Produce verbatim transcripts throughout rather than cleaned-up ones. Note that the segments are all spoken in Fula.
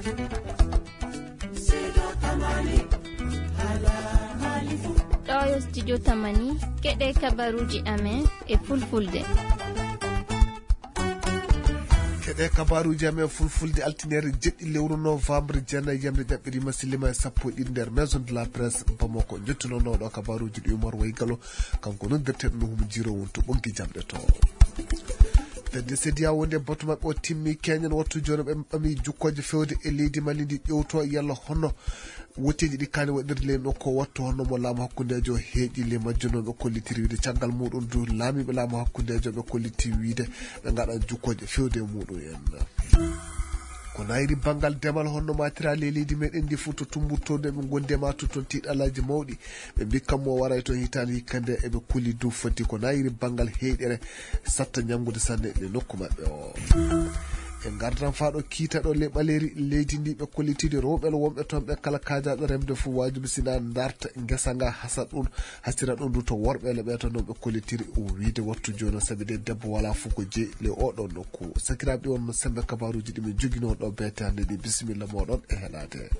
Ɗo yo studio Tamani, keɗe kabaruuji amen e fulfulde. Keɗe kabaruuji amen fulfulde, altine jeɗɗi lewru novembre, jeenayi yamre ƴaɓɓirima, sillima e sappo e ɗiɗi nder Maison de la Presse Bamako. Njettunono ɗo kabaruuji ɗi Umar Waygalo, kanko noddirteɗo no Humo Jiro wonto ɓoggi jamɗe to. Fedde CEDEAO wonde batu maɓɓe o timmi, keñen wattu jooni ɓe ɓami jukkooje fewde e leydi Mali ndi, ƴewto yalla hono wotteeji ɗi kaani waɗirde ley nokku o wattu, hono mo laamu hakkundeejo heeƴi ley majjunooɓe kollitiri wiide. Caggal muɗum du, laamiiɓe laamu hakkundeejo ɓe kolliti wiide ɓe ngaɗan jukkooje fewde e muɗum en. Ko nayri banngal demal, honno matira ley leydi meɗen ndi fof, to tumbuttorde ɓe ngondi e ma, to toon tiiɗalaaji mawɗi. Ɓe mbi kammo waray toon hitaande hikka nde eɓe kuli du foti ko nayri banngal heyɗere satta ñanngude sanne e nokku maɓɓe o. E ngardan faa ɗo kiita ɗo le ɓaleeri leydi ndi ɓe kollitiri rewɓe wonɓe toon ɓe kala kaajaaɗo remde fof waajibi sina ndarta ngesa nga hasa ɗum, hasira ɗum du to worɓe le ɓe to noon ɓe kollitiri o wiide wattu jooni o sabi de debbo wala fof ko jeyi le oɗo nokku. Sakiraaɓe on no sembe kabaruuji ɗi min joginoo ɗo beete hannde ɗi. Bisimilla mooɗon e heɗaade.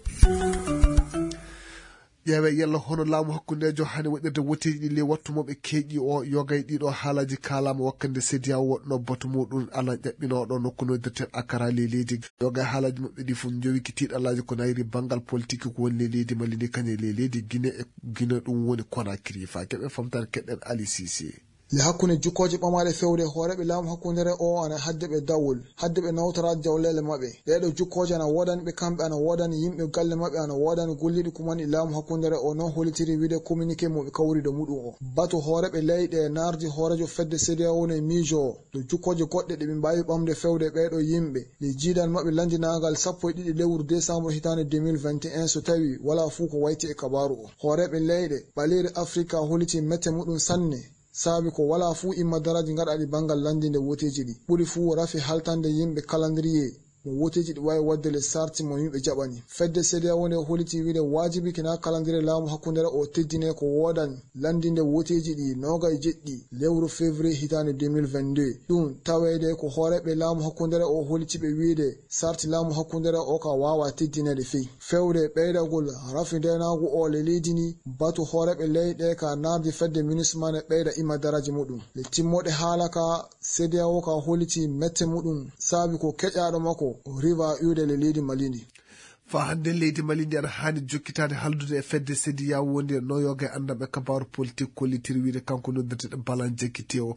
Ƴeewe yalla hono laamu hakkundeejo hani waɗirde woteeji ɗi ley wattu mo ɓe keeƴi o. Yogay ɗiɗo haalaaji kaalaama wakkande CEDEAO woɗno batu muɗum alan ƴaɓɓinooɗo nokku noddirten Akara ley leydi. Yogay haalaaji maɓɓe ɗi fof njowiki tiiɗalaaji ko nayri banngal politique ko woni ley leydi Mali ndi kañe ley leydi Guinée e Guinée ɗum woni Conakry. Faa keɓe famtare keɗen Ali Cissé. Le hakkunde jukkooje ɓamaaɗe fewde hooreeɓe laamu hakkundeere o ana hadde ɓe dawol, hadde ɓe nawtora jawleele maɓɓe. Ɗeeɗo jukkooje ana woodani ɓe kamɓe, ana woodani yimɓe galle maɓɓe, ana woodani golliiɗo kumani laamu hakkundeere o, non hollitiri wiide communiqué mo ɓe kawri ɗo muɗum o. Batu hooreeɓe leyɗe naardi hooreejo fedde CEDEAO woni e miijo o. Ɗo jukkooje goɗɗe ɗe ɓe mbaawi ɓamde fewde ɓeeɗo yimɓe. Le jiidal maɓɓe lanndinaagal sappo e ɗiɗi lewru décembre hitaande deux mille vingt et un, so tawi wala fuu ko wayti e kabaaru o. Hooreeɓe leyɗe ɓaleeri Afrika holliti mette muɗum sanne. Saabi ko walaa fuu imma daraaji gaɗaaɗi banngal lanndinde woteeji ɗi. Ɓuri fuu rafi haltande yimɓe calendrier mo woteeji ɗi waawi waɗde le sarti mo yimɓe jaɓani. Fedde CEDEAO nde holiti wiide waajibi kina calendrier laamu hakkundeere o teddine ko woodani lanndinde woteeji ɗi noogay jeɗɗi lewru février hitaande deux mille vingt-deux. Ɗum taweede ko hooreeɓe laamu hakkundeere o holiti ɓe wiide sarti laamu hakkundeere o ka waawa teddineede fey. Fewde ɓeydagol rafi ndeenaagu o le leydi ndi, batu hooreeɓe leyɗe ka naardi fedde MINUSMA ne ɓeyda imma daraaji muɗum. Le timmoɗe haala ka CEDEAO ka holliti mette muɗum saabi ko keƴaaɗo makko riva iwde le leydi Mali ndi. Faa hannde leydi Mali ndi ana haani jokkitaade haldude e fedde CEDEAO wonde no yoga e anndanɓe kabaaru politik kollitiri wiide kanko noddirteɗo Balan Jekkiti o.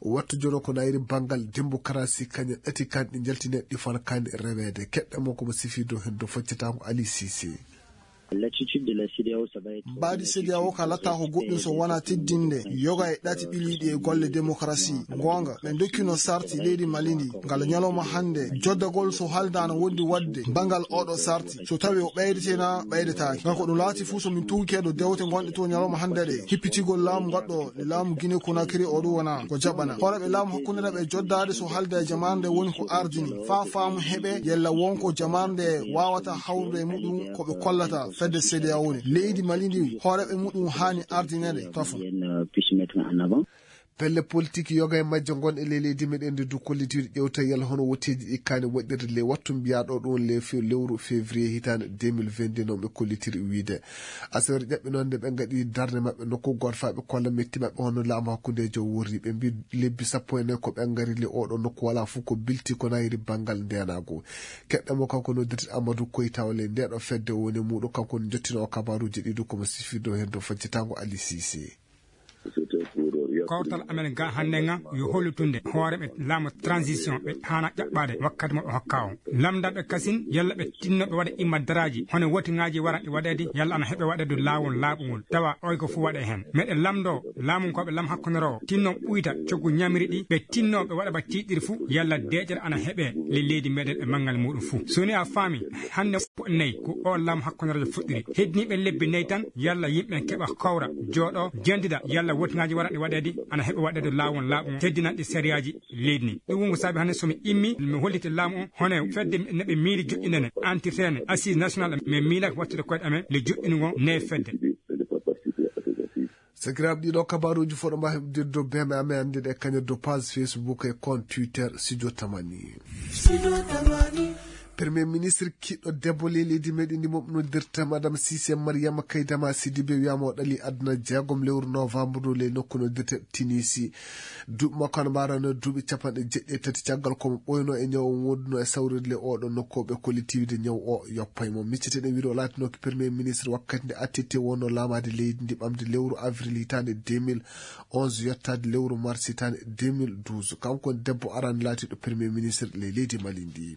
Wattu jono ko nayri banngal démocratie kañe ɗati kan ɗi njaltineɗi fana kan reweede. Keɗɗe mo ko mo sifi dow hen dow foccata ko Ali Cissé. L'attitude de la CEDEAO, ça va être Mbaadi CEDEAO ka latta ko goɗɗum so wona teddinde yoga e ɗati ɓiliiɗi e golle démocratie. Goonga, ɓe ndokkino sarti leydi Mali ndi ngal ñalawma hannde. Joddagol so haalda ana wondi waɗde banngal oɗo sarti, so tawi o ɓeydete na ɓeydetaake. Ngal ko ɗum laati fuu so min tuugike ɗo dewte ngonɗe to ñalawma hannde ɗe. Hippitigol laamu ngal ɗo e laamu Guinée Conakry o ɗum wona ko jaɓana. Hooreeɓe laamu hakkunde ɓe joddaade so haalda e jamaare nde woni ko ardini. Faa faamu heɓe yella won ko jamaare nde waawata hawrude e muɗum ko ɓe kollata fedde CEDEAO woni. Leydi Mali ndi hooreeɓe muɗum haani ardineede tafo. Pelle politik yoga e majje ngon e ley leydi meɗen ndi du kollitiri ƴewta yalla hono wotteeji ɗi kaani waɗirde ley wattu mbiyaɗo ɗum le fe-, lewru février hitaande deux mille vingt-deux noon ɓe kollitiri wiide. Asawere ƴaɓɓi noon nde ɓe ngaɗi darnde maɓɓe nokku gooto faa ɓe kolla metti maɓɓe hono laamu hakkundeejo worri. Ɓe mbi lebbi sappo e nayi ko ɓe ngari le oɗo nokku wala fof ko bilti ko nayri banngal ndeenaagu. Keɗɗo mo kanko noddirte Amadou Koyta o le ndeɗo fedde woni muɗo kanko ne jottino o kabaruuji ɗi du ko mo sifirde o heen to faccitango Ali Cissé. Kawtal amen ga hannde nga yo hollitunde hooreɓe laamu transition ɓe haana ƴaɓɓaade wakkati mo ɓe hokka o. Lamdaɓe kasin yalla ɓe tinno ɓe waɗa imma daraaji hono wotingaaji waranɗi waɗeede yalla ana heɓe waɗeede laawol laaɓungol tawa oy ko fuu waɗe heen. Meɗen lamndo laamunkooɓe lam hakkundeero o tinno ɓuyta coggu ñamiri ɗi ɓe tinno ɓe waɗa ba tiiɗiri fuu yalla deeƴere ana heɓe le leydi meɗen e manngal muɗum fuu. So ni a faami hannde ko nayi ko o laamu hakkundeerejo fuɗɗiri. Heddiniiɓe lebbi nayi tan yalla yimɓe keɓa kawra jooɗo jendida yalla wotingaaji waranɗi waɗeede ana heɓa waɗeede laawol laaɓungol teddinanɗi sariyaaji leydi ndi. Ɗum wonko saabi hannde so mi immi mi holliti laamu o hono fedde ne ɓe miili joƴƴinene antirtene assise nationale min miilaka wattude koyɗe amen le joƴƴinugol nde fedde. Sakiraaɓe ɗiɗo kabaruuji fof ɗo mbawi heɓdirde dow beme amen annde ɗe kañum dow page Facebook e compte Twitter Studio Tamani. Premier ministre kiɗɗo debbo ley leydi meɗen ndi moɓe noddirta Madame Cissé Mariama Kaydama Sidibe wiyama o ɗali aduna jeegom lewru novembre ndu ley nokku noddirta Tinisi. Duuɓi makko ana mbarano duuɓi capanɗe jeɗɗi e tati caggal ko mo ɓooyno e ñaw o wonduno e sawrirde oɗo nokku o ɓe kolli tiwide ñaw o yoppay mo. Micciteɗen wiide o laatinooki premier ministre wakkati nde attete wonno laamaade leydi ndi ɓamde lewru avril hitaande deux mille onze yottaade lewru mars hitaande deux mille douze. Kanko woni debbo arani laatiiɗo premier ministre ley leydi Mali ndi.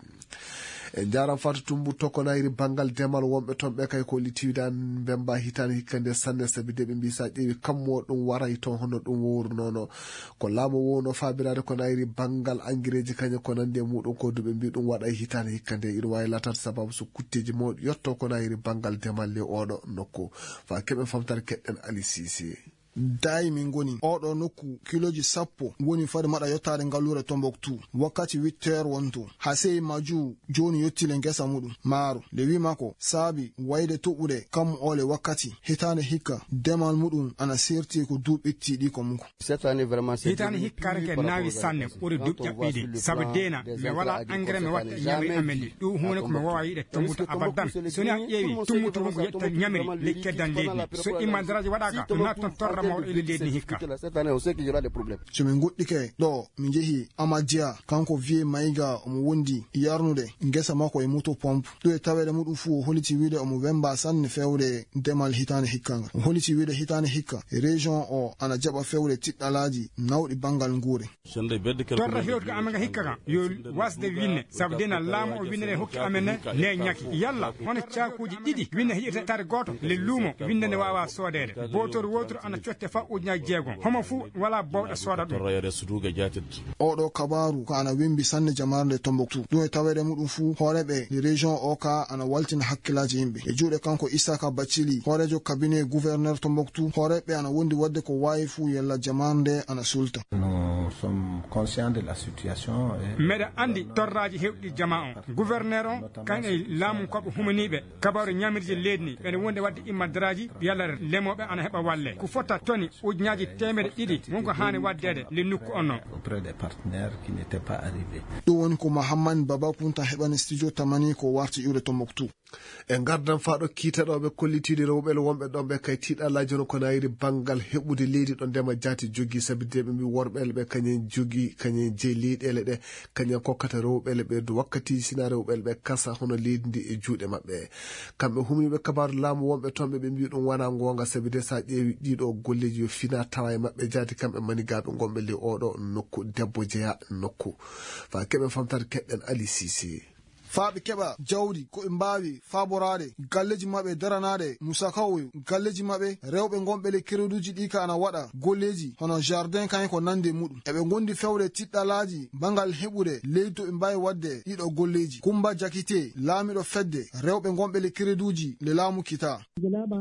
En njaran Fatou Toumbour tokonayri banngal demal wonɓe toon ɓe kay ko litiwidani mbemba hitaande hikka nde sanne sabi de ɓe mbi sa ƴeewi kammo ɗum waray toon hono ɗum wowrunono. Ko laamu wowno faabiraade ko nayri banngal angireeji kañum ko nandi e muɗum ko duɓe mbi ɗum waɗay hitaande hikka nde ina waawi laataade sababu so kutteeji mawɗi yetto ko nayri banngal demal ley oɗo nokku. Fa keɓen famtare keɗɗen Ali Sise. Daay min ngoni oɗo nokku kilooji sappo woni fade maɗa yottaade ngalluure Tombouctou wakkati huit heures wonto. Hasey Maju jooni yottile ngesa muɗum maaro. Nde wi makko saabi wayde toɓude kammu ole wakkati hitaande hikka demal muɗum ana serti ko duuɓi ɓetti ɗi ko muko. Hitaande hikka reke naawi sanne ɓuri duuɓi ƴaɓɓiiɗi sabu deena mi wala engrais mi watta ñamri amen ɗi ɗum huunde ko mi wawa yiɗe tumbuto abadan. So ni a ƴeewi tumbuto wonko yetta ñamri ley keddan leydi ndi so imma daraaji waɗaaka ɗum naata toon torra mawɗo e leydi ndi hikka. So min ngoɗɗike ɗo mi njehi Amadia kanko vieux Maïga omo wondi yarnude ngesa makko e moto pompe. Ɗum e taweede muɗum fuu o holiti wiide omo wemba sanne fewde demal hitaande hikka ngal. O holiti wiide hitaande hikka région o ana jaɓa fewde tiɗɗalaaji nawɗi banngal nguure. Torra hewtude amen ga hikka kan yo wasde winne sabu dena laamu o winne ɗe hokki amen ne ne ñaki yalla hono caakuuji ɗiɗi winne heƴirta tare gooto le luumo winne ne waawa soodeede bootoru wooturu ana cotte fa ujunnaaji jeegom homo fuu wala bowɗo sooda ɗum. Oɗo kabaaru ko ana wembi sanne jamaare nde Tombouctou. Ɗum e taweede muɗum fuu hooreeɓe nde région o ka ana waltina hakkillaaji yimɓe e juuɗe kanko Isaka Bathily hooreejo cabinet gouverneur Tombouctou hooreeɓe ana wondi waɗde ko waawi fuu yalla jamaare nde ana sulta. Meɗa anndi torraaji hewɗi jamaa on gouverneur on kañum e laamu koɓe humaniiɓe kabaaru ñamirji leydi ndi ɓeɗa wondi waɗde immadaraaji yalla remooɓe ana heɓa walle ko fota toni ujunnaaji teemedde ɗiɗi wonko haani waɗdeede le nokku on non. Ɗum woni ko Mahammani Baba Kunta heɓani studio tamani ko warti iwde Tombouctou. E ngardan faa ɗo kiitaɗooɓe kollitiiɗi rewɓe le wonɓe ɗon ɓe kay tiiɗalaaji hono ko nayiri banngal heɓude leydi ɗo ndema jaati jogii sabi de ɓe mbi worɓe le ɓe kañen jogii kañen jeyi leyɗeele ɗe kañen kokkata rewɓe le ɓe du wakkatiiji sina rewɓe le ɓe kasa hono leydi ndi e juuɗe maɓɓe. Kamɓe humniiɓe kabaaru laamu wonɓe toon ɓe ɓe mbi ɗum wonaa ngoonga sabi de so a ƴeewi ɗiiɗo golleeji yo fina tawa e maɓɓe jaati kamɓe manigaaɓe ngonɓe ley ooɗo nokku debbo jeya nokku. Faa keɓen famtare keɗɗen Ali Sise. Faa ɓe keɓa jawdi ko ɓe mbaawi faaboraade galleeji maɓɓe daranaaɗe musakawoyo galleeji maɓɓe rewɓe ngonɓe ley kereduuji ɗi ka ana waɗa golleeji hono jardin kañum ko nande e muɗum eɓe ngondi fewde tiɗɗalaaji bangal heɓude leydi to ɓe mbaawi waɗde ɗiɗo golleeji. Kummba Jakite laamiɗo fedde rewɓe ngonɓe ley kereduuji le laamu kita.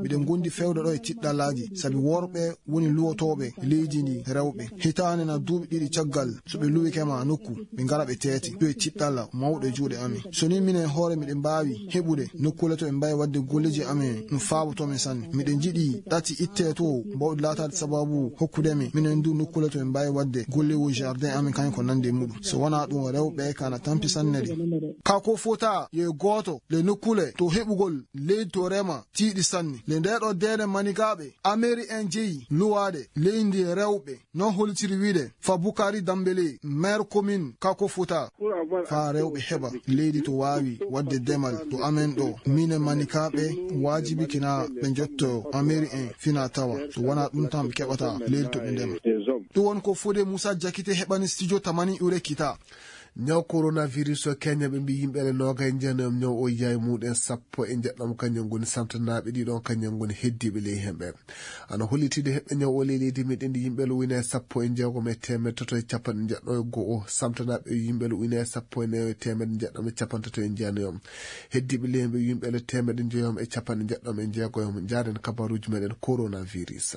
Miɗen ngondi fewde ɗo e tiɗɗalaaji sabi worɓe woni luwotooɓe leydi ndi rewɓe hitaande na duuɓi ɗiɗi caggal so ɓe luwike ma nokku ɓe ngara ɓe teete ɗo e tiɗɗalla mawɗo e juuɗe amen. So ni minen hoore miɗen mbaawi heɓude nokkuule to ɓe mbaawi waɗde golleeji amen no faabotoo men sanne. Miɗen njiɗi ɗati ittee to mbawɗi laataade sababu hokkude men minen ndu nokkuule to ɓe mbaawi waɗde golleewu jardin amen kañum ko nande e muɗum. So wonaa ɗum rewɓe ka na tampi sanne de. Ka ko fota yo e gooto le nokkuule to heɓugol leydi to rema tiiɗi sanne. Le ndeɗo deene manigaaɓe ameri en jeyi luwaade leydi e rewɓe non holitiri wiide fa Bukari Dambele maire commune Kako Fouta. Fa rewɓe heɓa leydi to waawi waɗde demal to amen ɗo minen manikaaɓe waajibi kina ɓe njotto ameri en fina tawa so wonaa ɗum tan ɓe keɓata leydi to ɓe ndema. Ɗum woni ko Fode Moussa Jakite heɓani studio tamani ure kita. Ñaw coronavirus o Kenya ɓe mbi yimɓe ele noogay njeenoyom ñaw o yiyaay muɗen sappo e njeɗɗam kañum ngoni samtanaaɓe ɗiɗon kañum ngoni heddiiɓe ley hemɓe. Ana hollitiide heɓɓe ñaw o ley leydi meɗen ndi yimɓe ele uynaye sappo e jeegom e teemeɗe tato e capanɗe njeɗɗo e go'o samtanaaɓe yimɓe ele uynaye sappo e nayo e teemeɗe njeɗɗam e capanɗe tato e jeenayom. Heddiiɓe ley hemɓe yimɓe ele teemeɗe njoyom e capanɗe njeɗɗam e jeegoyom. Njaaren kabaruuji meɗen coronavirus.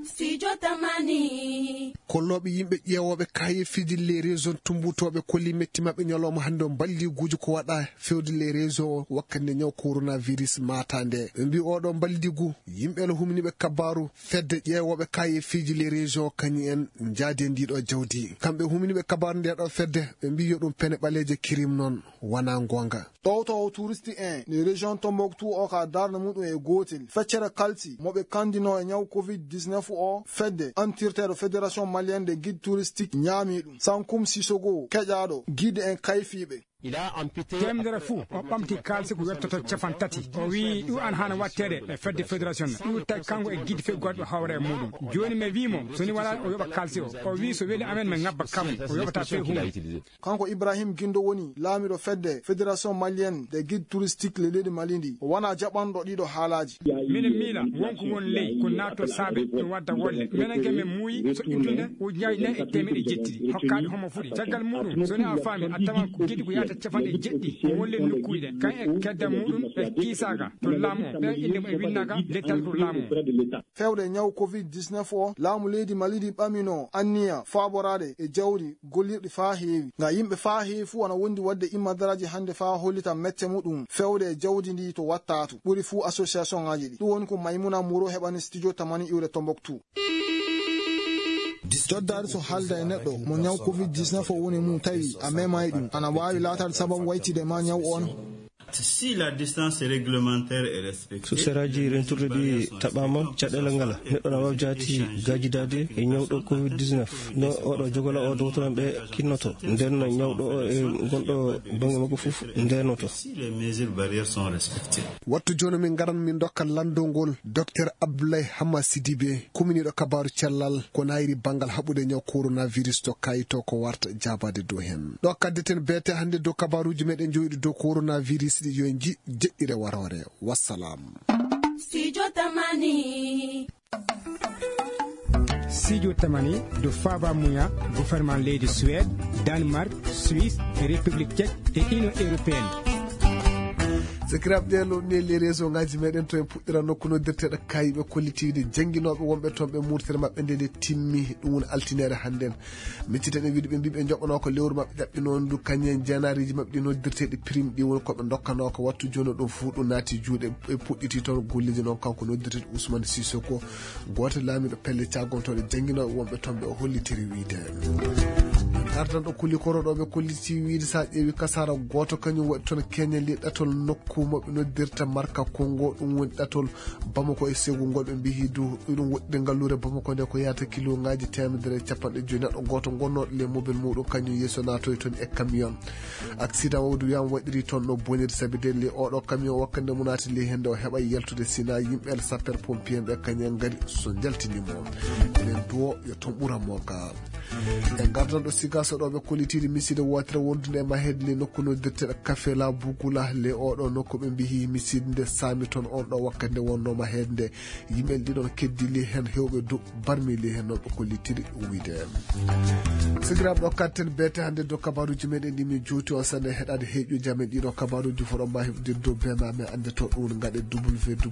Studio Tamani. Kollooɓe yimɓe ƴeewooɓe kaayeefiiji les régions tummbutooɓe kolli metti maɓɓe ñalawma hannde o mballiguuji ko waɗa fewde les régions o wakkati nde ñaw coronavirus maata nde. Ɓe mbii oɗo mballigu yimɓe no humniiɓe kabaaru fedde ƴeewooɓe kaayeefiiji les régions kañum en njaadi e ndiiɗo jawdi. Kamɓe humniiɓe kabaaru ndeeɗo fedde ɓe mbii yo ɗum pene ɓaleeje kirim noon wonaa ngoonga. Ɗowtoowo touristique en ne région Tombouctou o ka darnde muɗum e gootel. Feccere kalsi mo ɓe kanndinoo e ñaw covid dix-neuf o fedde antirteeɗo fédération malienne des guides touristiques ñaami ɗum. Sankum Sissoko keƴaaɗo guide en kayfiiɓe. Teemedere fuu o ɓamti kaalisi ko yottoto capan tati. O wiyi ɗum an haana waɗteede e fedde fédération. Ɗum tawi kanko e guide feggoɗo hawra e muɗum. Jooni mi wii mo so ni wala o yoɓa kaalisi o. O wii so weli amen mi ngabba kammu o yoɓata fey huunde. Kanko Ibrahim Gindo woni laamiɗo fedde Fédération Malienne des Guides Touristiques le leydi Mali ndi. O wona jaɓanɗo ɗiɗo haalaaji. Minen miila wonko won ley ko naatto saabe ɗum wadda wolle. Minen ke min muuyi soƴƴintunde ujunnaaji nayi e teemeɗɗe jeɗɗi hokkaaɗe homo fuɗi. Caggal muɗum so ni a faami a tawan ko giɗi ko yahata capanɗe jeɗɗi ko wolle nokkuuji ɗen. Kan e kedda muɗum ɓe kiisaaka to laamu o. Ɓen innde mum e winnaaka lettal to laamu o. Fewde ñaw covid dix-neuf o, laamu leydi Mali ndi ɓamino anniya faaboraade e jawdi gollirɗi faa heewi. Nga yimɓe faa heewi fuu ana wondi waɗde immadaraaji hannde faa hollita mette muɗum fewde e jawdi ndi to wattatu. Ɓuri fuu association ŋaaji ɗi. Ɗum woni ko Maymuna Muro heɓani studio Tamani iwde Tombouctou. Coddaari so haalda e neɗɗo mo ñaw covid dix-neuf o woni mum tawi a memaay ɗum, ana waawi laataade sababu waytide ma ñaw on. Si la distance réglementaire est respectée, so seraaji rentirɗi ɗi taɓaama, caɗeele ngala, neɗɗo na waawi jaati gaajidaade e ñawɗo covid dix-neuf. No oɗo jogola o dowtoran ɓe kinnoto. Nden ñawɗo o e gonɗo bannge makko fof ndenoto. Si les mesures barrières sont respectées. Wattu jooni min ngaran min ndokka lanndol ngol Docteur Abdoulaye Hama Sidibé, kuminiiɗo kabaaru cellal ko nayri banngal haɓude ñaw coronavirus to kayito ko warta jaabaade dow heen. Ɗo kaddeten beete hannde dow kabaaruuji meɗen jowiɗi dow coronavirus ɗi yo en nji jeɗɗire waroore. Wassalam. Studio Tamani. Studio Tamani do faaba muya gouvernement leydi Suède, Danemark, Suisse, République Tchèque et Union Européenne. Sakiraaɓe, ɗe lomni les réseau ngaji meɗen to en puɗɗira nokku noddirteɗo kayiɓe kollitiiɗe jannginooɓe wonɓe toon ɓe murtere maɓɓe nde nde timmi. Ɗum woni altine hannden. Miccitaɗen wiide ɓe mbii ɓe njoɓanoo ko lewru maɓɓe ƴaɓɓinoo ndu kañum en jeenaariiji maɓɓe ɗi noddirteeɗi prime ɗi woni ko ɓe ndokkanoo ko wattu jooni ɗum fuu ɗum naati juuɗe ɓe puɗɗiti toon golleeji noon kanko noddirteeɗo Ousmane Sissoko gooto laamiiɗo pelle caggontooɗe jannginooɓe wonɓe toon ɓe o hollitiri wiide. Artan ɗo kulli koro ɗo ɓe kolliti wiide so a ƴeewi kasaara gooto kañum waɗi toon keñali ɗatol nokku mo ɓe noddirta Marka Kongo ɗum woni ɗatol Bamako e segu ngol ɓe mbiyi du iɗum woɗɗi ngalluure Bamako nde ko yahata kilo ngaji teemedere e capanɗe joyi neɗɗo gooto gonnooɗo ley mobel muɗum kañum yeeso naatoyi toon e camion. Accident o du wiyama waɗiri toon no boniri sabi de ley oɗo camion wakkande mo naati ley hende o heɓa yaltude sina yimɓe sapeur pompier ɓe kañum en ngari so jaltini mo. Enen duwo yo toon ɓura mo ka. E ngardan ɗo siga so ɗo ɓe kollitiri miside wotere wondude e mahede ley nokku noddirteɗo Kafela Bugula ley oɗo nokku ɓe mbiyi miside nde saami toon on ɗo wakkati nde wonno mahede nde. Yimɓe ɗiɗon keddili heen heewɓe du barmili heen noon ɓe kollitiri wiyde. Sakiraaɓe ɗo katten beete hannde dow kabaruuji meɗen ɗi min jowti on sanne heɗaade heeƴuuji amen ɗiɗo kabaruuji fof ɗo mbawi heɓde dow bema amen annde to ɗum gaɗe www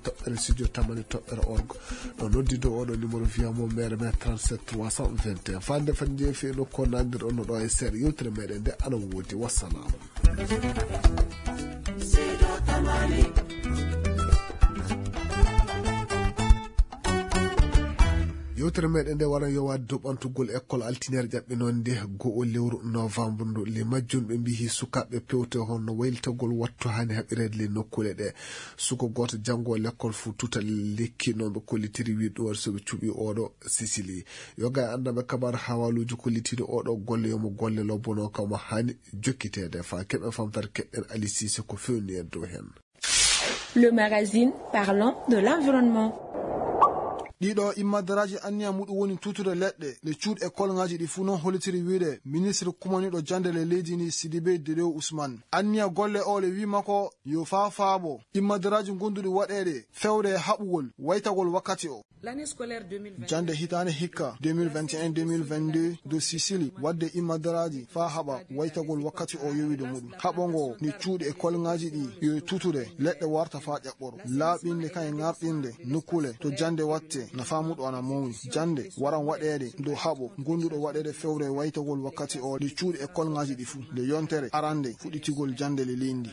toɓɓere studio tamani toɓɓere org. Ɗo noddi dow oɗo numéro wiyamo mere men trente-sept trois cent vingt et un fande fande jeefi e nokku o nandir on no ɗo e seeɗa yewtere meɗen nde ana woodi wassalam. Yewtere meɗen nde wara yo waɗ doɓantugol école altinere ƴaɓɓe noon nde go'o lewru novembre ndu le majjum ɓe mbihi sukaaɓe pewte honno waylitagol wattu hani haɓireede le nokkuɗe ɗe. Suko gooto janngo l'école fuu tutal lekki noon ɓe kollitiri wi ɗum waɗi so ɓe cuɓi oɗo Sicily. Yoga e anndaɓe kabar hawaluuji kollitiiɗo oɗo golle yomo golle lobbono kamo hani jokkiteede fa keɓe famtata keɓɓen Ali Cissé ko fewni en dow heen. Le magazine parlant de l'environnement. Ɗiɗo immadaraaji anniya muɗum woni tutude leɗɗe le cuuɗi e kolŋaaji ɗi fuu noon hollitiri wiide ministre kumaniiɗo jannde le leydi ndi Sidibé Dedew Ousmane. Anniya golle o le wi makko yo faa faabo immadaraaji gonduɗi waɗeede fewde e haɓugol waytagol wakkati o. Jannde hitaande hikka deux mille vingt et un deux mille vingt-deux dow Sicily waɗde immadaraaji faa haɓa waytagol wakkati o yowide muɗum. Haɓo ngo ni cuuɗi e kolŋaaji ɗi yo tutude leɗɗe warta faa ƴaɓɓoro. Laaɓinde kan e ŋarɗinde nokkule to jannde watte. Nafaa muɗum ana mawni. Jannde waran waɗeede dow haɓo ngonduɗo waɗeede fewre waytagol wakkati o nde cuuɗi e kolŋaaji ɗi fuu. Nde yontere arande fuɗɗitigol jannde le leydi.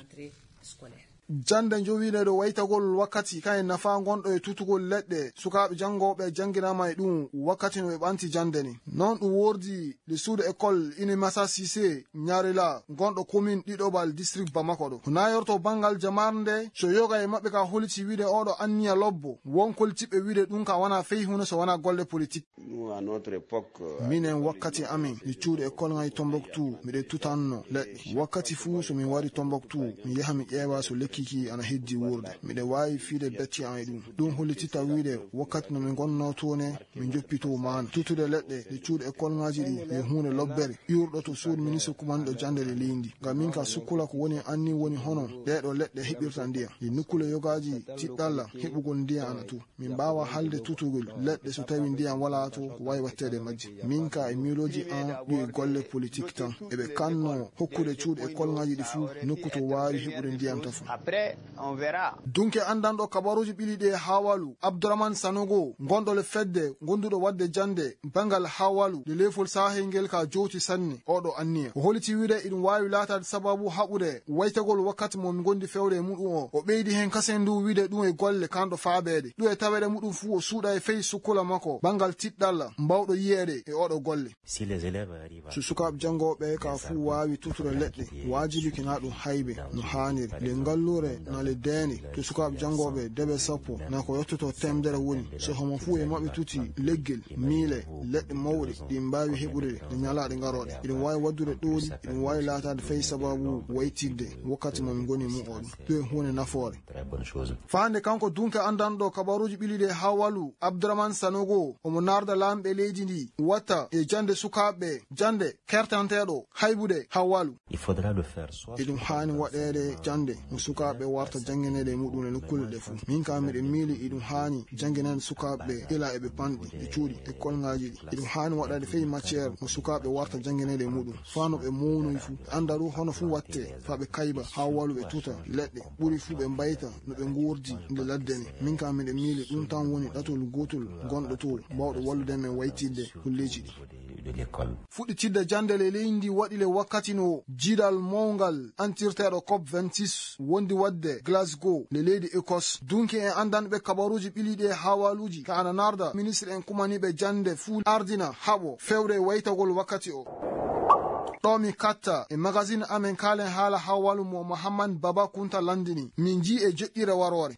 Jannde njowiiɗe ɗo waytagol wakkati kayen nafaa ngonɗo e tutugol leɗɗe. Sukaaɓe janngooɓe jannginaama e ɗum wakkati no ɓe ɓanti jannde ni. Noon ɗum woordi le suudu école Inimasa Sise Ñarila ngonɗo commune ɗiɗoɓal district Bamako ɗo. Ko nayorto banngal jamaare nde so yoga e maɓɓe ka holiti wiide oɗo anniya lobbo. Won kolitiɓɓe wiide ɗum ka wona fey huunde so wona golle politique. Nous, à notre époque, euh, minen wakkati amin mi cuuɗi e kolŋay Tombouctou miɗen tutanno leɗɗe. Wakkati fuu so min wari Tombouctou mi yaha mi ƴeewa so lekki ki ana heddi wuurde. Miɗen waawi fiide becce an e ɗum. Ɗum hollititta wiide wakkati no min ngonnoo toon ne min njoppitoo maana. Tutude leɗɗe ɗe cuuɗi e kolŋaaji ɗi yo huunde lobbere ƴuurɗo to suudu ministre kumanɗo jannde le leydi. Ngam min ka sukkula ko woni anni woni hono ɗee ɗo leɗɗe heɓirta ndiyam. Ɗi nukkule yogaaji tiɗɗalla heɓugol ndiyam ana too. Min mbaawa haalde tutugol leɗɗe so tawi ndiyam walaa to ko waawi waɗteede majje. Min ka e miilooji an ɗum e golle politik tan. Eɓe kanno hokkude cuuɗi e kolŋaaji ɗi fuu nokku to waawi heɓude ndiyam tafo. Après, on verra. Dunke anndanɗo kabaruuji ɓili ɗi e Hawalu, Abdourahmane Sanogo, ngonɗo le fedde ngonduɗo waɗde jannde banngal Hawalu, le leefol sahel ngel ka jowti sanne oɗo anniya. O holiti wiide iɗum waawi laataade sababu haɓude waytagol wakkati mo mi ngondi fewre e muɗum o. O ɓeydi heen kasen ndu wiide ɗum e golle kanɗo faabeede. Ɗum e taweede muɗum fuu o suuɗa e fey sukkula makko banngal tiɗɗalla mbawɗo yiyeede e oɗo golle. Si les élèves arrivent à... So sukaaɓe janngooɓe ka fuu waawi tutude leɗɗe, waajibi kina ɗum haybe no haaniri. Nde ngalluure na le deene to sukaaɓe janngooɓe debe sappo na ko yottoto temedere woni. So homo fuu e maɓɓe tuti leggel, miile, leɗɗe mawɗe ɗi mbaawi heɓude ɗe ñalaaɗe ngarooɗe. Iɗum waawi waɗdude ɗooli, iɗum waawi laataade fey sababu waytidde wakkati mo min ngoni mu oɗo. Ɗum e huunde nafoore. Très bonne chose. Faande kanko dunke anndanɗo kabaruuji ɓili ɗi e Hawalu, Abdourahmane Sanogo, omo naarda laamɓe leydi ndi watta e jannde sukaaɓe, jannde kertanteeɗo haybude Hawalu. Il faudra le faire soit... Iɗum haani waɗeede jannde mo sukaaɓe warta janngineede e muɗum e nokkuule ɗe fuu. Min ka miɗo miili iɗum haani janngineede sukaaɓe ila eɓe panɗi, ɓe cuuɗi e kolŋaaji ɗi. Iɗum haani waɗaade fey matière mo sukaaɓe warta janngineede e muɗum. Faa no ɓe mawnoyi fuu, ɓe annda ɗum hono fuu waɗtee, faa ɓe kayba, haa walu ɓe tuta leɗɗe, ɓuri fuu ɓe mbayta no ɓe nguurdi nde ladde ni. Min ka miɗo miili ɗum tan woni ɗatol gootol gonɗo to, mbawɗo wallude men waytidde golleeji ɗi. De l'école. Fuɗɗitidde jannde le leydi ndi waɗi le wakkati no jiidal mawngal antirteeɗo cop vingt-six wondi waɗde Glasgow, le leydi Écosse. Dunki en anndanɓe kabaruuji ɓiliiɗi e haawaaluuji ka ana narda ministre en kumaniiɓe jannde fuu ardina haɓo fewre waytagol wakkati o. Ɗo mi katta e magazine amen kaalen haala haawaalu mo Mohammad Baba Kunta landini. Min njii e joƴƴire waroore.